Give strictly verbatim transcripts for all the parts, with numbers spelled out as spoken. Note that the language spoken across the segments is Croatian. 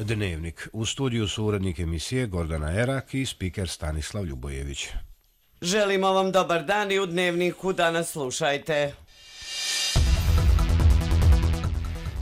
Dnevnik. U studiju su urednik emisije Gordana Erak i spiker Stanislav Ljubojević. Želimo vam dobar dan i u Dnevniku danas slušajte.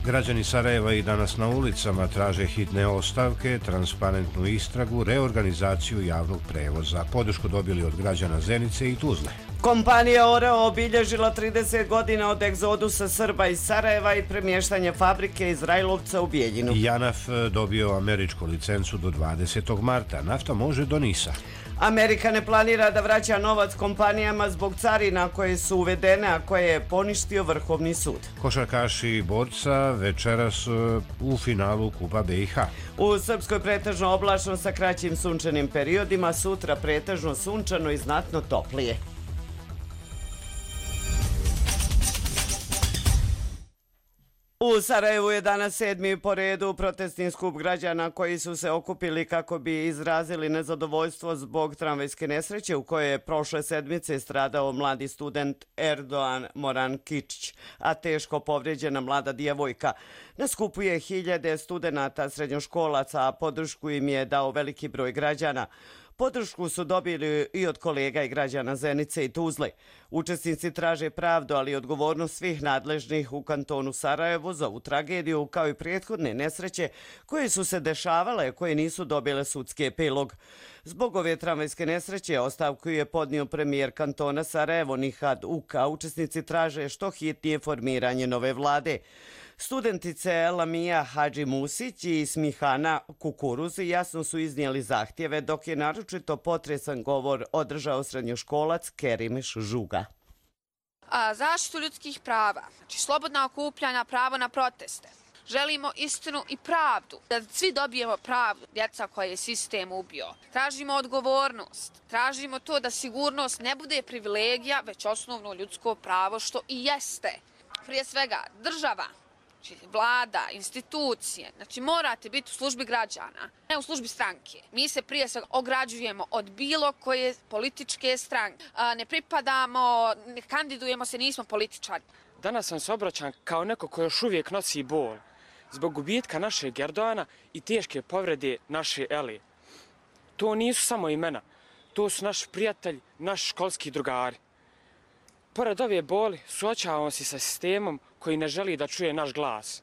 Građani Sarajeva i danas na ulicama traže hitne ostavke, transparentnu istragu, reorganizaciju javnog prevoza. Podršku dobili od građana Zenice i Tuzle. Kompanija Oreo obilježila trideset godina od egzodusa Srba iz Sarajeva i premještanje fabrike iz Rajlovca u Bijeljinu. Janaf dobio američku licencu do dvadesetog marta. Nafta može do Nisa. Amerika ne planira da vraća novac kompanijama zbog carina koje su uvedene, a koje je poništio Vrhovni sud. Košarkaši borca večeras u finalu Kupa B i H. U Srpskoj pretežno oblačno sa kraćim sunčanim periodima, sutra pretežno sunčano i znatno toplije. U Sarajevu je danas sedmi po redu protestni skup građana koji su se okupili kako bi izrazili nezadovoljstvo zbog tramvajske nesreće u kojoj je prošle sedmice stradao mladi student Erdoğan Morankić, a teško povrijeđena mlada djevojka. Na skupu je hiljade studenata srednjoškolaca, a podršku im je dao veliki broj građana. Podršku su dobili i od kolega i građana Zenice i Tuzle. Učesnici traže pravdu, ali i odgovornost svih nadležnih u kantonu Sarajevo za ovu tragediju, kao i prethodne nesreće koje su se dešavale, koje nisu dobile sudski epilog. Zbog ove tramvajske nesreće ostavku je podnio premijer kantona Sarajevo Nihad Uka. Učesnici traže što hitnije formiranje nove vlade. Studentice Lamija Hadži Musić i Smihana Kukuruz jasno su iznijeli zahtjeve, dok je naročito potresan govor održao srednjoškolac Kerimiš Žuga. A zaštitu ljudskih prava, znači slobodna okupljanja, pravo na proteste. Želimo istinu i pravdu, da svi dobijemo pravdu, djeca koje je sistem ubio. Tražimo odgovornost, tražimo to da sigurnost ne bude privilegija, već osnovno ljudsko pravo, što i jeste. Prije svega država, vlada, institucije, znači morate biti u službi građana, ne u službi stranke. Mi se prije svega ograđujemo od bilo koje političke stranke. Ne pripadamo, ne kandidujemo se, nismo političari. Danas sam se obraćan kao neko ko još uvijek nosi bol zbog gubitka našeg Erdoğana i teške povrede naše Eli. To nisu samo imena, to su naš prijatelj, naš školski drugari. Pored ove boli, suočavamo se sa sistemom koji ne želi da čuje naš glas.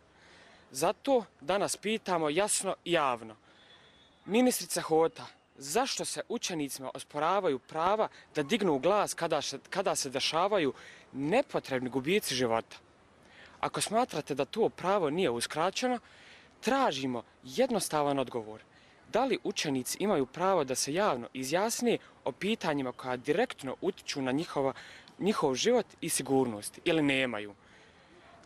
Zato danas pitamo jasno i javno. Ministrica Hota, zašto se učenicima osporavaju prava da dignu glas kada, kada se dešavaju nepotrebni gubici života? Ako smatrate da to pravo nije uskraćeno, tražimo jednostavan odgovor. Da li učenici imaju pravo da se javno izjasne o pitanjima koja direktno utiču na njihova njihov život i sigurnost, ili nemaju?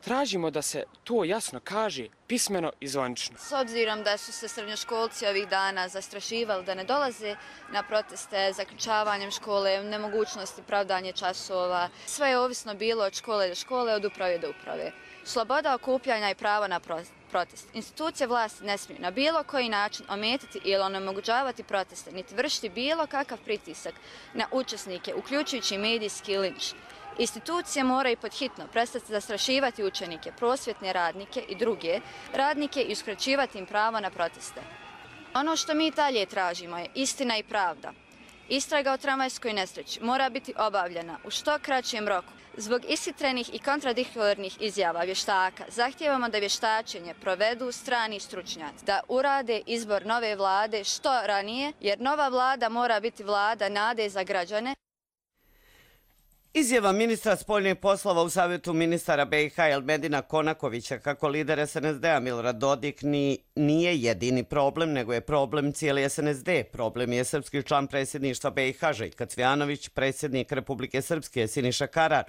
Tražimo da se to jasno kaže, pismeno i zvanično. S obzirom da su se srednjoškolci ovih dana zastrašivali da ne dolaze na proteste, zaključavanjem škole, nemogućnosti pravdanje časova, sve je ovisno bilo od škole do škole, od uprave do uprave. Sloboda okupljanja i pravo na protest. Institucije vlasti ne smiju na bilo koji način ometiti ili onemogućavati proteste, niti vršiti bilo kakav pritisak na učesnike, uključujući medijski linč. Institucije moraju pod hitno prestati zastrašivati učenike, prosvjetne radnike i druge radnike i uskraćivati im pravo na proteste. Ono što mi dalje tražimo je istina i pravda. Istraga o tramvajskoj nesreći mora biti obavljena u što kraćem roku. Zbog ishitrenih i kontradiktornih izjava vještaka zahtijevamo da vještačenje provedu strani stručnjaci, da urade izbor nove vlade što ranije, jer nova vlada mora biti vlada nade za građane. Izjava ministra spoljnih poslova u Savjetu ministara B i H Elmedina Konakovića kako lider S N S D-a Milorad Dodik ni, nije jedini problem, nego je problem cijeli S N S D. Problem je srpski član predsjedništva B i H Željko Cvijanović, predsjednik Republike Srpske Siniša Karar.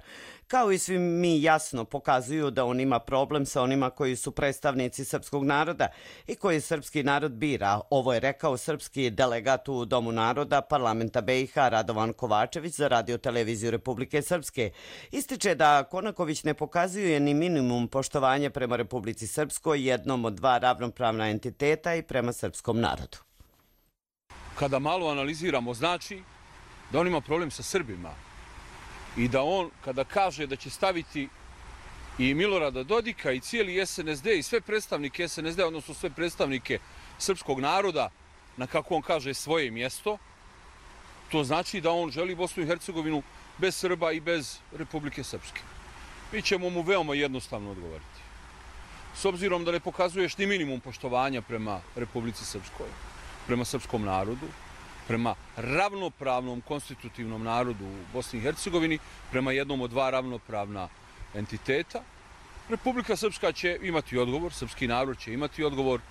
Kao i svi mi jasno pokazuju da on ima problem sa onima koji su predstavnici srpskog naroda i koji srpski narod bira. Ovo je rekao srpski delegat u Domu naroda parlamenta B i H Radovan Kovačević za Radio televiziju Republike Srpske. Ističe da Konaković ne pokazuje ni minimum poštovanja prema Republici Srpskoj, jednom od dva ravnopravna entiteta, i prema srpskom narodu. Kada malo analiziramo, znači da on ima problem sa Srbima i da on, kada kaže da će staviti i Milorada Dodika i cijeli S N S D i sve predstavnike S N S D, odnosno sve predstavnike srpskog naroda na, kako on kaže, svoje mjesto, to znači da on želi Bosnu i Hercegovinu bez Srba i bez Republike Srpske. Mi ćemo mu veoma jednostavno odgovoriti. S obzirom da ne pokazuješ ni minimum poštovanja prema Republici Srpskoj, prema srpskom narodu, prema ravnopravnom konstitutivnom narodu u Bosni i Hercegovini, prema jednom od dva ravnopravna entiteta, Republika Srpska će imati odgovor, srpski narod će imati odgovor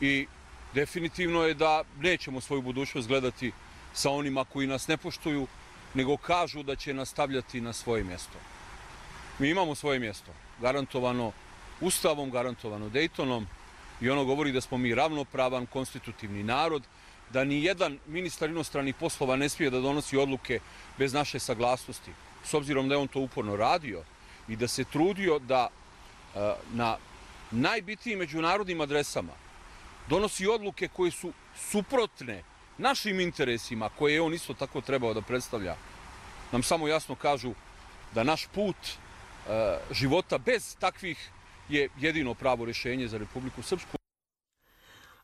i definitivno je da nećemo svoju budućnost gledati sa onima koji nas ne poštuju, nego kažu da će nastavljati na svoje mjesto. Mi imamo svoje mjesto, garantovano Ustavom, garantovano Dejtonom, i ono govori da smo mi ravnopravan konstitutivni narod, da ni jedan ministar inostranih poslova ne smije da donosi odluke bez naše saglasnosti, s obzirom da je on to uporno radio i da se trudio da na najbitnijim međunarodnim adresama donosi odluke koje su suprotne našim interesima, koje je on isto tako trebao da predstavlja, nam samo jasno kažu da naš put života bez takvih je jedino pravo rješenje za Republiku Srpsku.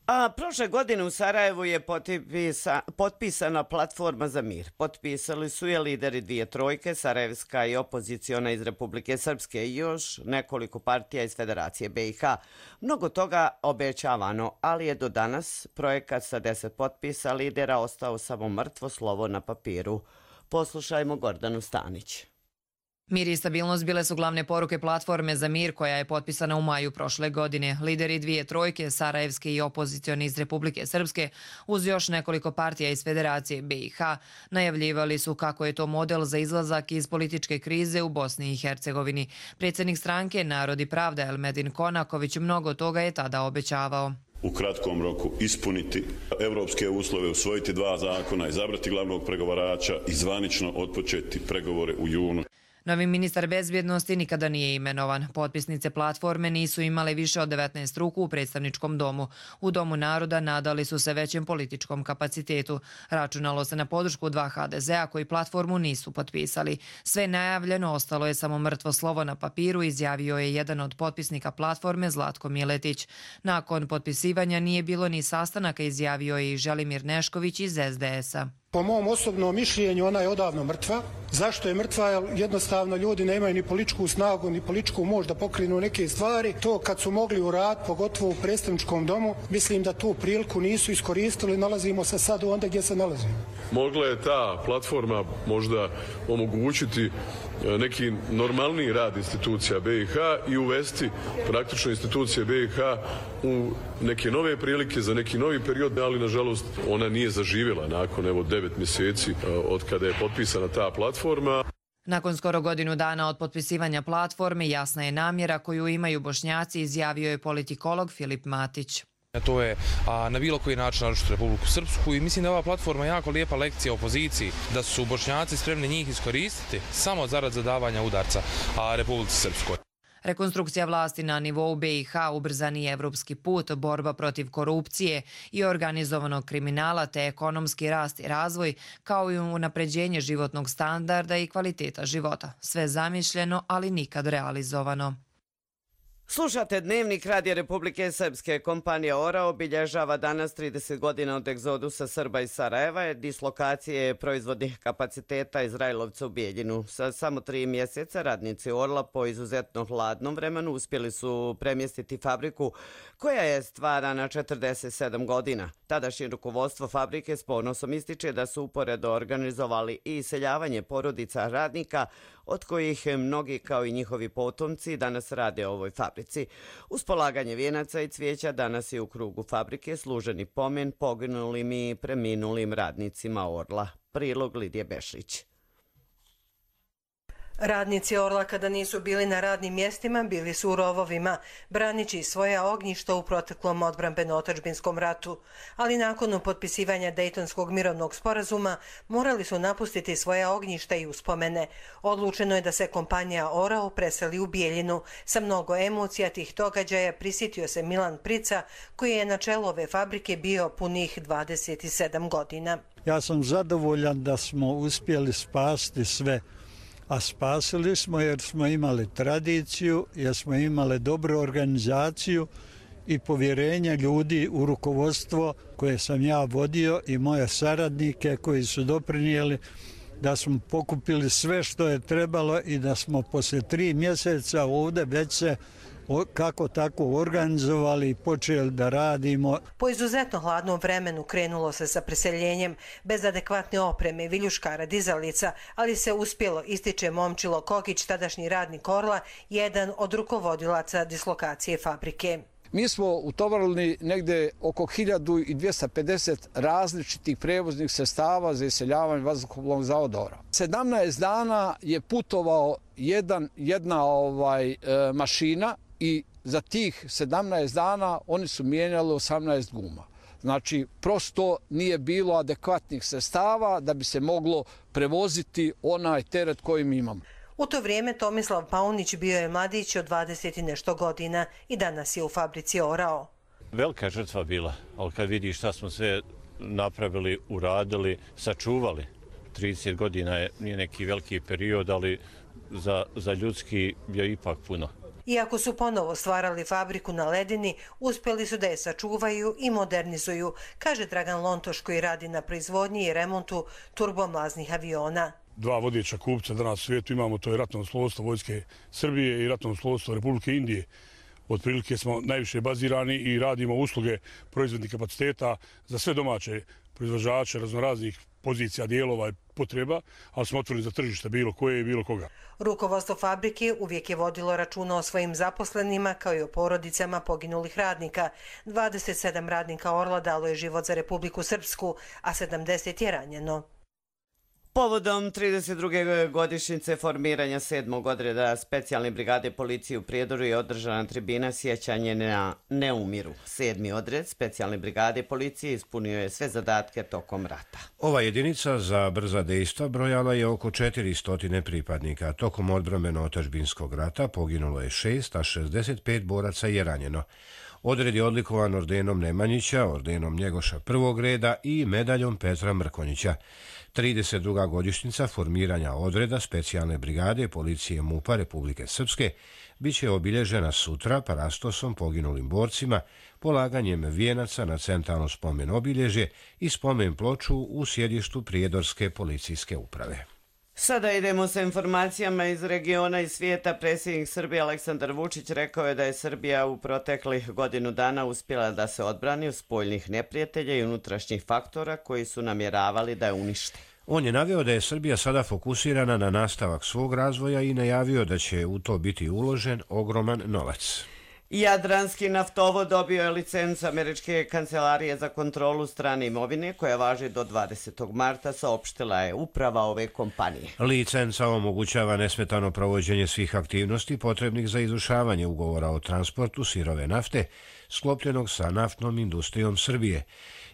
A prošle godine u Sarajevu je potpisa, potpisana platforma za mir. Potpisali su je lideri dvije trojke, sarajevska i opoziciona iz Republike Srpske i još nekoliko partija iz Federacije B i H. Mnogo toga obećavano, ali je do danas projekat sa deset potpisa lidera ostao samo mrtvo slovo na papiru. Poslušajmo Gordanu Stanić. Mir i stabilnost bile su glavne poruke platforme za mir koja je potpisana u maju prošle godine. Lideri dvije trojke, sarajevske i opozicioni iz Republike Srpske, uz još nekoliko partija iz Federacije B i H, najavljivali su kako je to model za izlazak iz političke krize u Bosni i Hercegovini. Predsjednik stranke Narod i pravda Elmedin Konaković mnogo toga je tada obećavao. U kratkom roku ispuniti evropske uslove, usvojiti dva zakona, izabrati glavnog pregovarača i zvanično otpočeti pregovore u junu. Novi ministar bezbjednosti nikada nije imenovan. Potpisnice platforme nisu imale više od devetnaest ruku u predstavničkom domu. U Domu naroda nadali su se većem političkom kapacitetu. Računalo se na podršku dva ha de zea koji platformu nisu potpisali. Sve najavljeno ostalo je samo mrtvo slovo na papiru, izjavio je jedan od potpisnika platforme Zlatko Miletić. Nakon potpisivanja nije bilo ni sastanaka, izjavio je i Želimir Nešković iz es de es-a. Po mom osobnom mišljenju ona je odavno mrtva. Zašto je mrtva? Jer jednostavno ljudi nemaju ni političku snagu, ni političku moć da pokrenu neke stvari. To kad su mogli u rad, pogotovo u predstavničkom domu, mislim da tu priliku nisu iskoristili. Nalazimo se sad onda gdje se nalazimo. Mogla je ta platforma možda omogućiti neki normalniji rad institucija B i H i uvesti praktično institucije B i H u neke nove prilike za neki novi period, ali nažalost ona nije zaživjela nakon evo devet mjeseci od kada je potpisana ta platforma. Nakon skoro godinu dana od potpisivanja platforme jasna je namjera koju imaju Bošnjaci, izjavio je politikolog Filip Matić. To je a, na bilo koji način narušiti Republiku Srpsku i mislim da je ova platforma jako lijepa lekcija opoziciji, da su Bošnjaci spremni njih iskoristiti samo zarad zadavanja udarca a, Republici Srpskoj. Rekonstrukcija vlasti na nivou B i H, ubrzani evropski put, borba protiv korupcije i organizovanog kriminala te ekonomski rast i razvoj, kao i unapređenje životnog standarda i kvaliteta života. Sve zamišljeno, ali nikad realizovano. Slušate Dnevnik Radija Republike Srpske. Kompanija Ora obilježava danas trideset godina od egzodusa Srba iz Sarajeva, dislokacije proizvodnih kapaciteta Izrailovca u Bijeljinu. Sa samo tri mjeseca radnici Orla po izuzetno hladnom vremenu uspjeli su premjestiti fabriku koja je stvarana četrdeset sedam godina. Tadašnje rukovodstvo fabrike s ponosom ističe da su uporedo organizovali i iseljavanje porodica radnika, od kojih mnogi kao i njihovi potomci danas rade u ovoj fabrici. Uz polaganje vijenaca i cvijeća danas je u krugu fabrike služeni pomen poginulim i preminulim radnicima Orla. Prilog Lidije Bešlić. Radnici Orla kada nisu bili na radnim mjestima bili su u rovovima, branići svoja ognjišta u proteklom odbrambeno-otadžbinskom ratu, ali nakon potpisivanja Dejtonskog mirovnog sporazuma morali su napustiti svoja ognjišta i uspomene. Odlučeno je da se kompanija Orao preseli u Bijeljinu. Sa mnogo emocija tih događaja prisjetio se Milan Prica, koji je na čelu ove fabrike bio punih dvadeset sedam godina. Ja sam zadovoljan da smo uspjeli spasti sve. A spasili smo jer smo imali tradiciju, jer smo imali dobru organizaciju i povjerenje ljudi u rukovodstvo koje sam ja vodio i moje saradnike koji su doprinijeli da smo pokupili sve što je trebalo i da smo poslije tri mjeseca ovdje već se kako tako organizovali i počeli da radimo. Po izuzetno hladnom vremenu krenulo se sa preseljenjem bez adekvatne opreme, viljuškara, dizalica, ali se uspjelo, ističe Momčilo Kokić, tadašnji radnik Orla, jedan od rukovodilaca dislokacije fabrike. Mi smo utovarili negde oko hiljadu dvjesto pedeset različitih prevoznih sredstava za iseljavanje vazduhoplovnog zavoda Orao. sedamnaest dana je putovao jedan, jedna ovaj, e, mašina i za tih sedamnaest dana oni su mijenjali osamnaest guma. Znači, prosto nije bilo adekvatnih sredstava da bi se moglo prevoziti onaj teret koji mi imamo. U to vrijeme Tomislav Paunić bio je mladić od dvadeset i nešto godina i danas je u fabrici Orao. Velika je žrtva bila, ali kad vidi šta smo sve napravili, uradili, sačuvali. trideset godina je, nije neki veliki period, ali za, za ljudski je ipak puno. Iako su ponovo stvarali fabriku na ledini, uspjeli su da je sačuvaju i modernizuju, kaže Dragan Lontoš koji radi na proizvodnji i remontu turbomlaznih aviona. Dva vodeća kupca danas u svijetu imamo, to je ratno slovstvo Vojske Srbije i ratno slovstvo Republike Indije. Otprilike smo najviše bazirani i radimo usluge proizvodnih kapaciteta za sve domaće proizvođače raznoraznih pozicija, dijelova i potreba, ali smo otvoreni za tržište bilo koje i bilo koga. Rukovodstvo fabrike uvijek je vodilo računa o svojim zaposlenima kao i o porodicama poginulih radnika. dvadeset sedam radnika Orla dalo je život za Republiku Srpsku, a sedamdeset je ranjeno. Povodom trideset druge godišnjice formiranja sedmog odreda specijalne brigade policije u Prijedoru je održana tribina sjećanje na Neumiru. Sedmi odred specijalne brigade policije ispunio je sve zadatke tokom rata. Ova jedinica za brza dejstva brojala je oko četiristo pripadnika. Tokom odbrambeno-otadžbinskog rata poginulo je šest, a šezdeset pet boraca je ranjeno. Odred je odlikovan ordenom Nemanjića, ordenom Njegoša prvog reda i medaljom Petra Mrkonjića. trideset druga godišnjica formiranja odreda specijalne brigade policije MUP-a Republike Srpske biće obilježena sutra parastosom poginulim borcima, polaganjem vijenaca na centralno spomen obilježje i spomen ploču u sjedištu Prijedorske policijske uprave. Sada idemo sa informacijama iz regiona i svijeta. Predsjednik Srbije Aleksandar Vučić rekao je da je Srbija u proteklih godinu dana uspjela da se odbrani od spoljnih neprijatelja i unutrašnjih faktora koji su namjeravali da je unište. On je naveo da je Srbija sada fokusirana na nastavak svog razvoja i najavio da će u to biti uložen ogroman novac. Jadranski naftovod dobio je licencu Američke kancelarije za kontrolu strane imovine koja važi do dvadesetog marta, saopštila je uprava ove kompanije. Licenca omogućava nesmetano provođenje svih aktivnosti potrebnih za izvršavanje ugovora o transportu sirove nafte sklopljenog sa naftnom industrijom Srbije.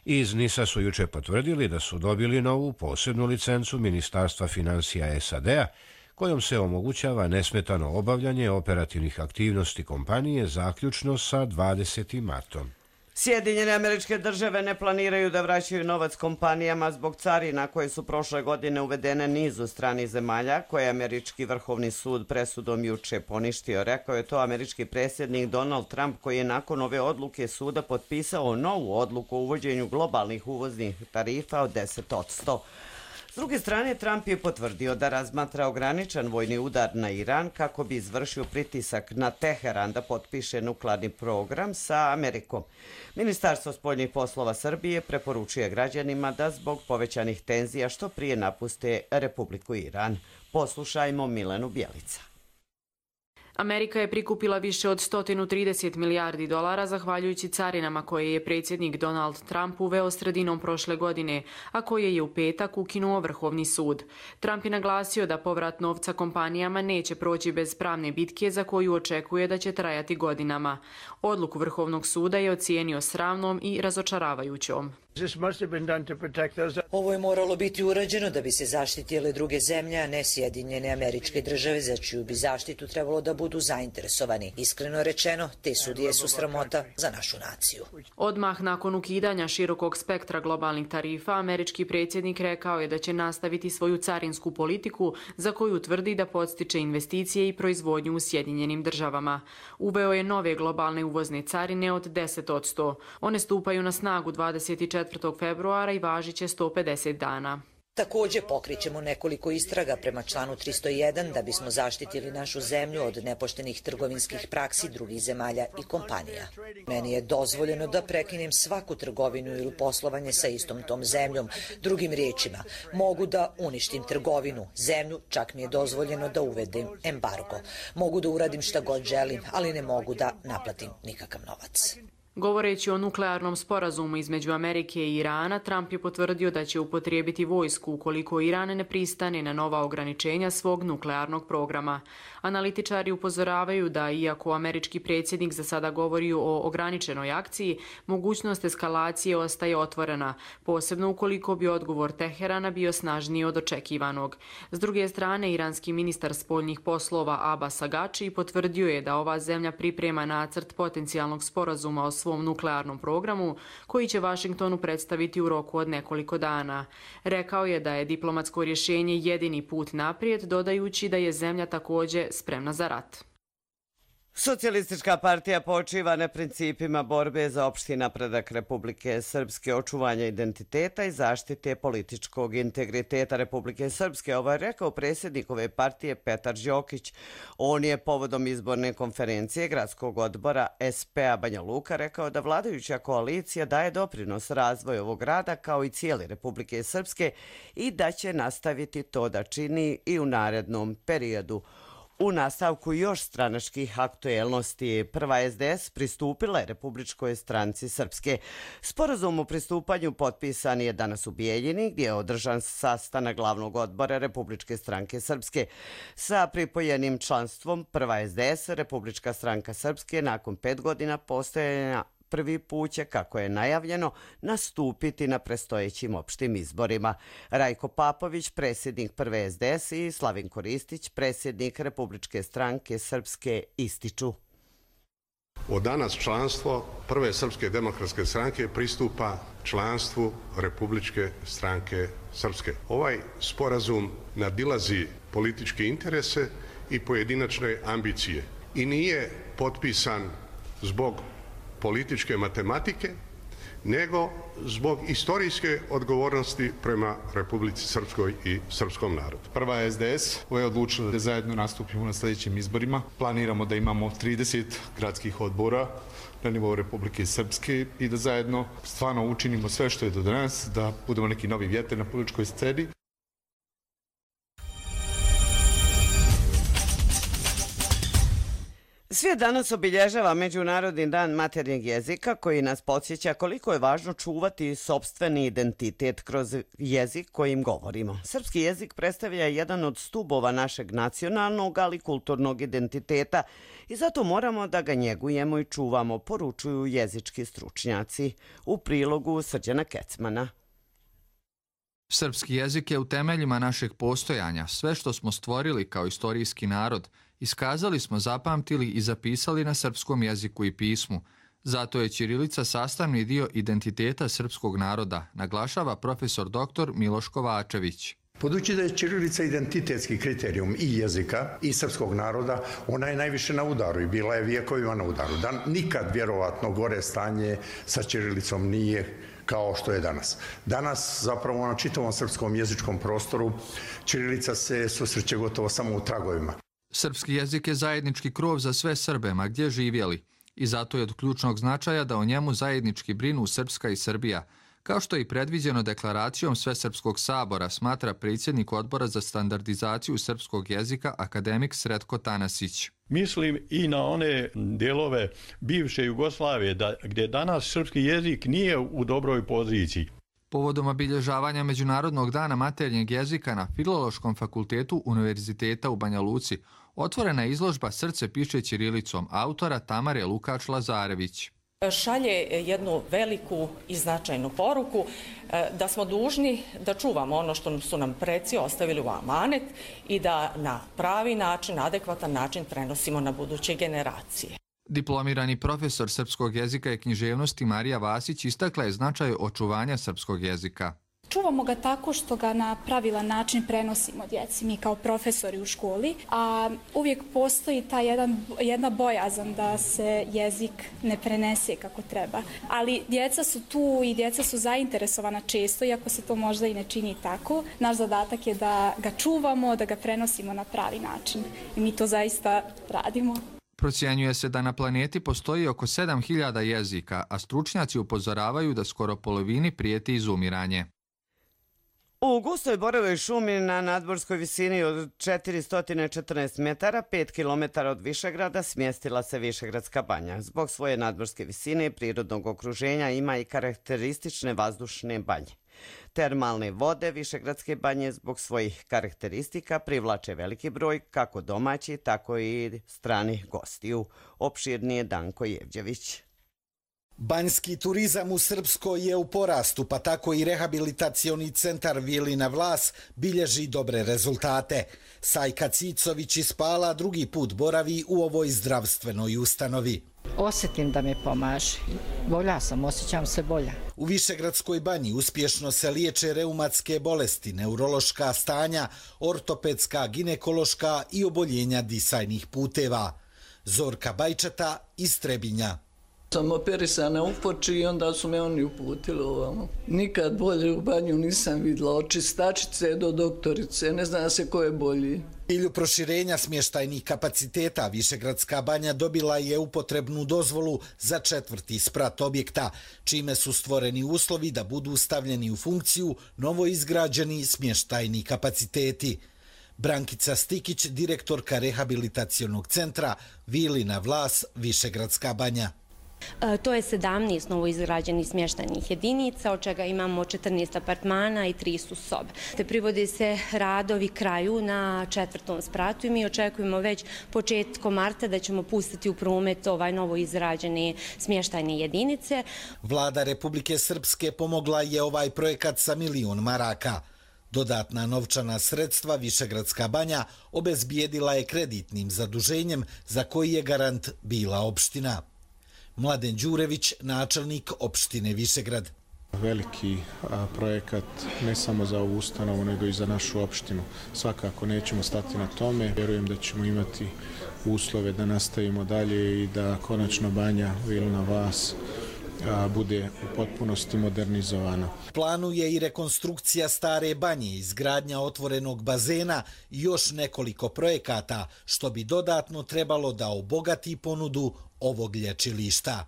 Iz NIS-a su juče potvrdili da su dobili novu posebnu licencu Ministarstva financija S A D-a kojom se omogućava nesmetano obavljanje operativnih aktivnosti kompanije zaključno sa dvadesetim martom. Sjedinjene Američke Države ne planiraju da vraćaju novac kompanijama zbog carina koje su prošle godine uvedene nizu stranih zemalja, koje je Američki vrhovni sud presudom juče poništio. Rekao je to američki predsjednik Donald Trump koji je nakon ove odluke suda potpisao novu odluku o uvođenju globalnih uvoznih tarifa od deset posto. S druge strane, Trump je potvrdio da razmatra ograničen vojni udar na Iran kako bi izvršio pritisak na Teheran da potpiše nuklearni program sa Amerikom. Ministarstvo spoljnih poslova Srbije preporučuje građanima da zbog povećanih tenzija što prije napuste Republiku Iran. Poslušajmo Milenu Bjelica. Amerika je prikupila više od sto trideset milijardi dolara zahvaljujući carinama koje je predsjednik Donald Trump uveo sredinom prošle godine, a koje je u petak ukinuo Vrhovni sud. Trump je naglasio da povrat novca kompanijama neće proći bez pravne bitke za koju očekuje da će trajati godinama. Odluku Vrhovnog suda je ocijenio sramnom i razočaravajućom. Ovo je moralo biti urađeno da bi se zaštitile druge zemlje, a ne Sjedinjene Američke Države, za čiju bi zaštitu trebalo da budu zainteresovani. Iskreno rečeno, te sudije su sramota za našu naciju. Odmah nakon ukidanja širokog spektra globalnih tarifa, američki predsjednik rekao je da će nastaviti svoju carinsku politiku za koju tvrdi da podstiče investicije i proizvodnju u Sjedinjenim Državama. Uveo je nove globalne uvozne carine od deset posto. One stupaju na snagu dvadeset četvrtog februara i važit će sto pedeset dana. Također pokrićemo nekoliko istraga prema članu tristo jedan da bismo zaštitili našu zemlju od nepoštenih trgovinskih praksi drugih zemalja i kompanija. Meni je dozvoljeno da prekinem svaku trgovinu ili poslovanje sa istom tom zemljom. Drugim riječima, mogu da uništim trgovinu, zemlju, čak mi je dozvoljeno da uvedem embargo. Mogu da uradim šta god želim, ali ne mogu da naplatim nikakav novac. Govoreći o nuklearnom sporazumu između Amerike i Irana, Trump je potvrdio da će upotrijebiti vojsku ukoliko Iran ne pristane na nova ograničenja svog nuklearnog programa. Analitičari upozoravaju da, iako američki predsjednik za sada govori o ograničenoj akciji, mogućnost eskalacije ostaje otvorena, posebno ukoliko bi odgovor Teherana bio snažniji od očekivanog. S druge strane, iranski ministar spoljnih poslova Abbas Agači potvrdio je da ova zemlja priprema nacrt potencijalnog sporazuma o svom nuklearnom programu, koji će Vašingtonu predstaviti u roku od nekoliko dana. Rekao je da je diplomatsko rješenje jedini put naprijed, dodajući da je zemlja također spremna za rat. Socijalistička partija počiva na principima borbe za opšti napredak Republike Srpske, očuvanja identiteta i zaštite političkog integriteta Republike Srpske. Ovo je rekao predsjednik ove partije Petar Đokić. On je povodom izborne konferencije gradskog odbora S P A Banja Luka rekao da vladajuća koalicija daje doprinos razvoju ovog grada kao i cijele Republike Srpske i da će nastaviti to da čini i u narednom periodu. U nastavku još stranačkih aktuelnosti, prva S D S pristupila je Republičkoj stranci Srpske. Sporazum o pristupanju potpisan je danas u Bijeljini, gdje je održan sastanak glavnog odbora Republičke stranke Srpske. Sa pripojenim članstvom prva S D S, Republička stranka Srpske, nakon pet godina postojanja prvi put će, kako je najavljeno, nastupiti na prestojećim opštim izborima. Rajko Papović, predsjednik prve S D S i Slavinko Ristić, predsjednik Republičke stranke Srpske, ističu. Od danas članstvo prve Srpske demokratske stranke pristupa članstvu Republičke stranke Srpske. Ovaj sporazum nadilazi političke interese i pojedinačne ambicije i nije potpisan zbog političke matematike, nego zbog istorijske odgovornosti prema Republici Srpskoj i srpskom narodu. Prva S D S je odlučila da zajedno nastupimo na sljedećim izborima. Planiramo da imamo trideset gradskih odbora na nivou Republike Srpske i da zajedno stvarno učinimo sve što je do danas, da budemo neki novi vjetar na političkoj sceni. Svijet danas obilježava Međunarodni dan maternjeg jezika, koji nas podsjeća koliko je važno čuvati sopstveni identitet kroz jezik kojim govorimo. Srpski jezik predstavlja jedan od stubova našeg nacionalnog, ali kulturnog identiteta i zato moramo da ga njegujemo i čuvamo, poručuju jezički stručnjaci. U prilogu Srđana Kecmana. Srpski jezik je u temeljima našeg postojanja. Sve što smo stvorili kao istorijski narod, iskazali smo, zapamtili i zapisali na srpskom jeziku i pismu. Zato je ćirilica sastavni dio identiteta srpskog naroda, naglašava profesor doktor Miloš Kovačević. Budući da je ćirilica identitetski kriterijum i jezika i srpskog naroda, ona je najviše na udaru i bila je vijekovima na udaru. Da nikad vjerovatno gore stanje sa ćirilicom nije kao što je danas. Danas zapravo na čitavom srpskom jezičkom prostoru ćirilica se susreće gotovo samo u tragovima. Srpski jezik je zajednički krov za sve Srbe, ma gdje živjeli, i zato je od ključnog značaja da o njemu zajednički brinu Srpska i Srbija, kao što je i predviđeno deklaracijom Svesrpskog sabora, smatra predsjednik Odbora za standardizaciju srpskog jezika akademik Sretko Tanasić. Mislim i na one dijelove bivše Jugoslavije, da, gdje danas srpski jezik nije u dobroj poziciji. Povodom obilježavanja Međunarodnog dana maternjeg jezika na Filološkom fakultetu Univerziteta u Banja Luci otvorena je izložba Srce piše ćirilicom autora Tamare Lukač-Lazarević. Šalje jednu veliku i značajnu poruku da smo dužni da čuvamo ono što su nam preci ostavili u amanet i da na pravi način, adekvatan način prenosimo na buduće generacije. Diplomirani profesor srpskog jezika i književnosti Marija Vasić istakla je značaj očuvanja srpskog jezika. Čuvamo ga tako što ga na pravilan način prenosimo djeci, mi kao profesori u školi, a uvijek postoji ta jedan, jedna bojazan da se jezik ne prenese kako treba. Ali djeca su tu i djeca su zainteresovana često, iako se to možda i ne čini tako. Naš zadatak je da ga čuvamo, da ga prenosimo na pravi način. I mi to zaista radimo. Procjenjuje se da na planeti postoji oko sedam hiljada jezika, a stručnjaci upozoravaju da skoro polovini prijeti izumiranje. U gustoj borovoj šumi na nadmorskoj visini od četiristo četrnaest metara, pet kilometara od Višegrada, smjestila se Višegradska banja. Zbog svoje nadmorske visine i prirodnog okruženja ima i karakteristične vazdušne banje. Termalne vode Višegradske banje zbog svojih karakteristika privlače veliki broj kako domaći, tako i stranih gostiju. Opširnije Danko Jevđević. Banjski turizam u Srpskoj je u porastu, pa tako i rehabilitacioni centar Vilina Vlas bilježi dobre rezultate. Sajka Cicović iz Pala drugi put boravi u ovoj zdravstvenoj ustanovi. Osjetim da me pomaže. Bolja sam, osjećam se bolja. U Višegradskoj banji uspješno se liječe reumatske bolesti, neurološka stanja, ortopedska, ginekološka i oboljenja disajnih puteva. Zorka Bajčeta iz Trebinja. Sam operisana u Foči i onda su me oni uputili ovamo. Nikad bolje u banju nisam vidjela, od čistačice do doktorice, ne zna se ko je bolji. Cilju proširenja smještajnih kapaciteta Višegradska banja dobila je upotrebnu dozvolu za četvrti sprat objekta, čime su stvoreni uslovi da budu stavljeni u funkciju novo izgrađeni smještajni kapaciteti. Brankica Stikić, direktorka rehabilitacionog centra Vilina Vlas, Višegradska banja. To je sedamnaest novoizgrađenih smještajnih jedinica, od čega imamo četrnaest apartmana i tri su sobe. Te privode se radovi kraju na četvrtom spratu i mi očekujemo već početkom marta da ćemo pustiti u promet ovaj novoizgrađene smještajne jedinice. Vlada Republike Srpske pomogla je ovaj projekat sa milion maraka. Dodatna novčana sredstva Višegradska banja obezbijedila je kreditnim zaduženjem za koji je garant bila opština. Mladen Đurević, načelnik opštine Višegrad. Veliki a, projekat ne samo za ovu ustanovu, nego i za našu opštinu. Svakako nećemo stati na tome. Vjerujem da ćemo imati uslove da nastavimo dalje i da konačno banja Vilina Vas a, bude u potpunosti modernizovana. Planu je i rekonstrukcija stare banje, izgradnja otvorenog bazena i još nekoliko projekata, što bi dodatno trebalo da obogati ponudu ovog lječilišta.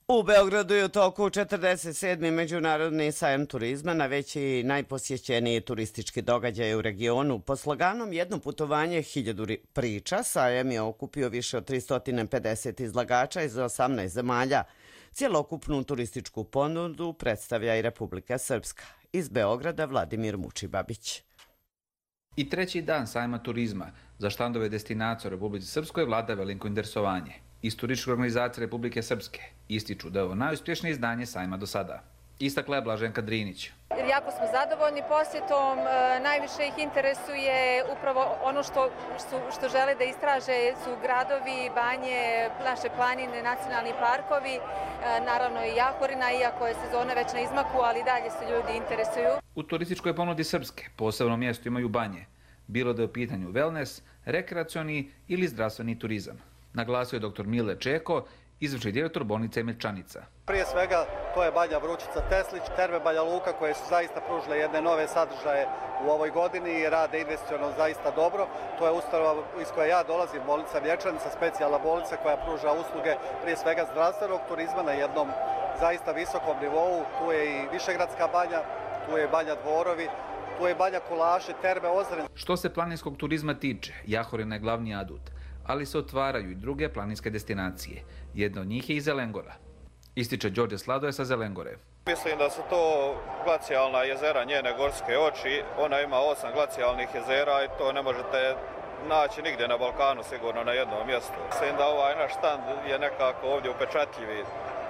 U Beogradu je u toku četrdeset sedmi Međunarodni sajam turizma, najveći i najposjećeniji turistički događaj u regionu. Po sloganom Jedno putovanje, hiljadu priča, sajam je okupio više od tristo pedeset izlagača iz osamnaest zemalja. Cijelokupnu turističku ponudu predstavlja i Republika Srpska. Iz Beograda Vladimir Mučibabić. I treći dan sajma turizma za štandove destinacije u Republici Srpskoj vlada veliko interesovanje. Iz turističke organizacije Republike Srpske ističu da je ovo najuspješnije izdanje sajma do sada. Istakla je Blaženka Drinić. Jako smo zadovoljni posjetom, najviše ih interesuje upravo ono što, što, što žele da istraže su gradovi, banje, naše planine, nacionalni parkovi, naravno i Jahorina, iako je sezona već na izmaku, ali dalje se ljudi interesuju. U turističkoj ponudi Srpske posebno mjesto imaju banje, bilo da je u pitanju wellness, rekreacioni ili zdravstveni turizam. Naglasio je doktor Mile Čeko, izvršni direktor bolnice Milčanica. Prije svega to je banja Vrućica Teslić, terme Banja Luka koje su zaista pružile jedne nove sadržaje u ovoj godini i rade investicionalno zaista dobro. To je ustanova iz koje ja dolazim, bolnica Milčanica, specijalna bolnica koja pruža usluge prije svega zdravstvenog turizma na jednom zaista visokom nivou. Tu je i Višegradska banja, tu je banja Dvorovi, tu je banja Kulaše, terme Ozren. Što se planinskog turizma tiče, Jahorina je glavni adut, ali se otvaraju i druge planinske destinacije. Jedna od njih je i Zelengora. Ističe Đorđe Sladoje sa Zelengore. Mislim da su to glacijalna jezera njene gorske oči. Ona ima osam glacijalnih jezera i to ne možete naći nigdje na Balkanu, sigurno na jednom mjestu. Mislim da ovaj naš stand je nekako ovdje upečatljivi.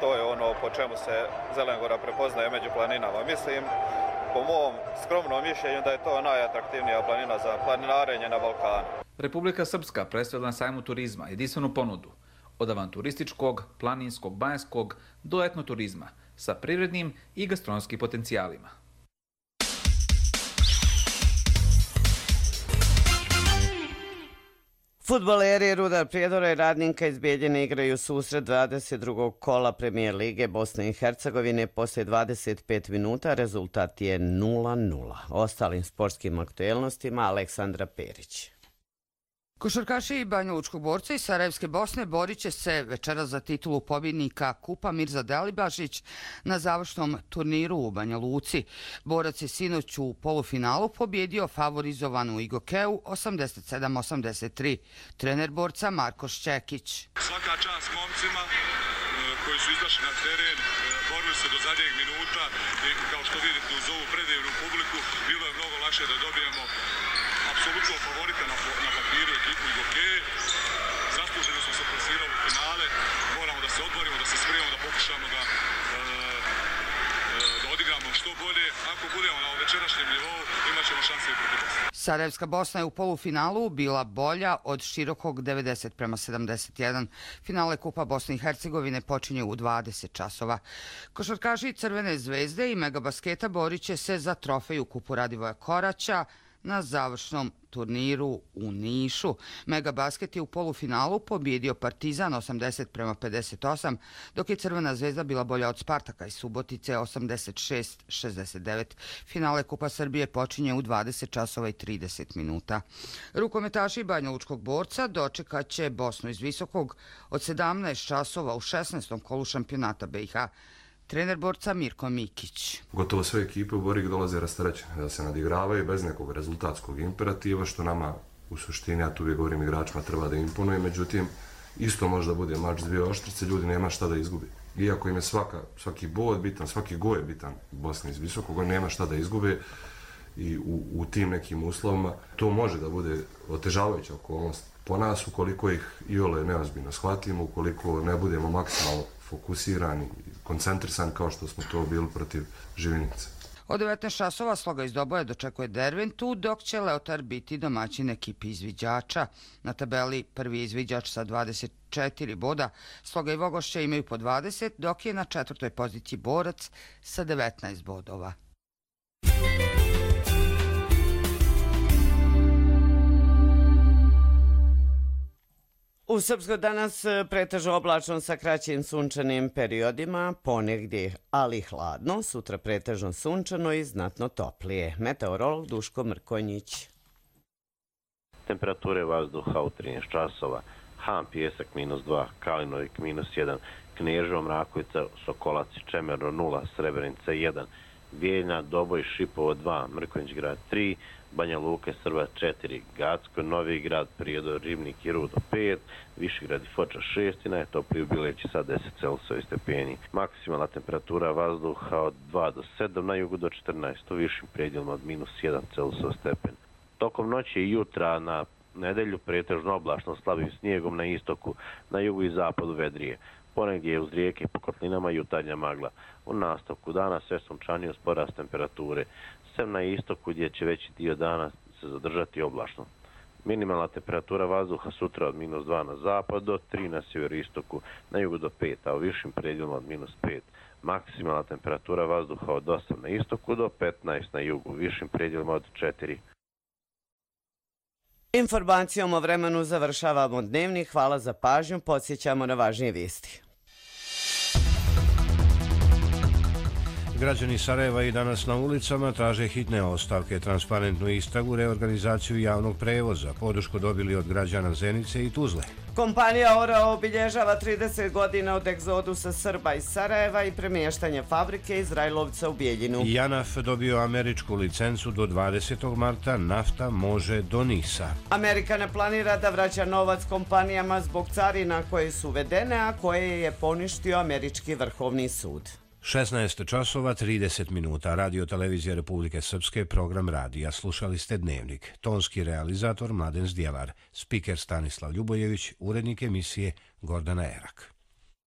To je ono po čemu se Zelengora prepoznaje među planinama. Mislim, po mom skromnom mišljenju, da je to najatraktivnija planina za planinarenje na Balkanu. Republika Srpska predstavila na sajmu turizma jedinstvenu ponudu od avanturističkog, planinskog, banjskog do etnoturizma sa privrednim i gastronomskim potencijalima. Fudbaleri Rudar Prijedora i Radnika iz Bijeljine igraju susret dvadeset drugog kola Premijer Lige Bosne i Hercegovine. Poslije dvadeset pet minuta rezultat je nula nula. Ostalim sportskim aktuelnostima Aleksandra Perić. Košarkaši Banjalučkog borca iz Sarajevske Bosne borit će se večeras za titulu pobjednika Kupa Mirza Delibašić na završnom turniru u Banja Luci. Borac je sinoć u polufinalu pobjedio favorizovanu Igokeu osamdeset sedam osamdeset tri. Trener borca Marko Šćekić. Svaka čast momcima koji su izašli na teren, borili se do zadnjeg minuta i kao što vidite uz ovu predivnu publiku bilo je mnogo lakše da dobijemo apsolutno favorita na, na papiru ekipu Igokeje. Zasluženo smo se plasirali u finale. Moramo da se odborimo, da se spremimo, da pokušamo da, da odigramo što bolje. Ako budemo na večerašnjem nivou, imat ćemo šanse i protiv Bosne. Sarajevska Bosna je u polufinalu bila bolja od Širokog devedeset prema sedamdeset jedan. Finale Kupa Bosne i Hercegovine počinje u dvadeset časova. Košarkaši Crvene zvezde i Megabasketa borit će se za trofej u Kupu Radivoja Koraća na završnom turniru u Nišu. Megabasket je u polufinalu pobjedio Partizan osamdeset prema pedeset osam, dok je Crvena zvezda bila bolja od Spartaka iz Subotice osamdeset šest šezdeset devet. Finale Kupa Srbije počinje u dvadeset časova i trideset minuta. Rukometaši Banjalučkog borca dočekat će Bosnu iz Visokog od sedamnaest časova u šesnaestom kolu šampionata B i H. Trener borca Mirko Mikić. Gotovo sve ekipe u Borik dolaze rasterećene, da se nadigravaju bez nekog rezultatskog imperativa, što nama u suštini, ja tu uvijek govorim igračima, treba da imponuje, međutim, isto može da bude mač s dvije oštrice, ljudi nema šta da izgubi. Iako im je svaka, svaki bod bitan, svaki go je bitan Bosni iz Visokog, on nema šta da izgube i u, u tim nekim uslovima to može da bude otežavajuća okolnost po nas, ukoliko ih iole neozbiljno shvatimo, ukoliko ne budemo maksimalno fokusirani, koncentrisani kao što smo to bili protiv Živinice. Od devetnaest časova Sloga iz Doboja dočekuje Derventu, dok će Leotar biti domaćin ekipi izviđača. Na tabeli prvi izviđač sa dvadeset četiri boda, Sloga i Vogošća imaju po dvadeset, dok je na četvrtoj poziciji Borac sa devetnaest bodova. U Srpskoj danas pretežno oblačno sa kraćim sunčanim periodima, ponegdje ali hladno, sutra pretežno sunčano i znatno toplije. Meteorolog Duško Mrkonjić. Temperature vazduha u trinaest časova, Han Pijesak minus dva, Kalinovik minus jedan, Kneževo Mrakovica, Sokolac Čemerno nula, Srebrenica jedan, Bijeljna, Doboj, Šipovo dva, Mrkonjić grad tri, Banja Luka, Srba četiri, Gacko, Novi grad, Prijedor, Ribnik i Rudo pet, Višegrad i Foča šest i najtopliji u Bileći sa deset Celsijevi stepeni. Maksimalna temperatura vazduha od dva do sedam, na jugu do četrnaest, u višim predjelima od minus jedan Celsijev stepen. Tokom noći i jutra na nedelju pretežno oblačno slabim snijegom na istoku, na jugu i zapadu vedrije. Ponegdje je uz rijeke po kotlinama jutarnja magla. U nastavku dana sve sunčanije uz porast temperature, sem na istoku gdje će veći dio dana se zadržati oblačno. Minimalna temperatura vazduha sutra od minus dva na zapad do tri na sjeveroistoku, na jugu do pet, a u višim predjelima od minus pet. Maksimalna temperatura vazduha od osam na istoku do petnaest na jugu, u višim predjelima od četiri. Informacijom o vremenu završavamo dnevni. Hvala za pažnju. Podsjećamo na važnije vijesti. Građani Sarajeva i danas na ulicama traže hitne ostavke, transparentnu istragu, reorganizaciju javnog prevoza. Podršku dobili od građana Zenice i Tuzle. Kompanija Orao obilježava trideset godina od egzodusa Srba iz Sarajeva i premještanja fabrike iz Rajlovca u Bijeljinu. Janaf dobio američku licencu do dvadesetog marta, nafta može do Nisa. Amerika ne planira da vraća novac kompanijama zbog carina koje su uvedene, a koje je poništio američki vrhovni sud. šesnaest časova trideset minuta. Radio Televizija Republike Srpske, program radija. Slušali ste Dnevnik. Tonski realizator Mladen Zdjelar. Spiker Stanislav Ljubojević. Urednik emisije Gordana Erak.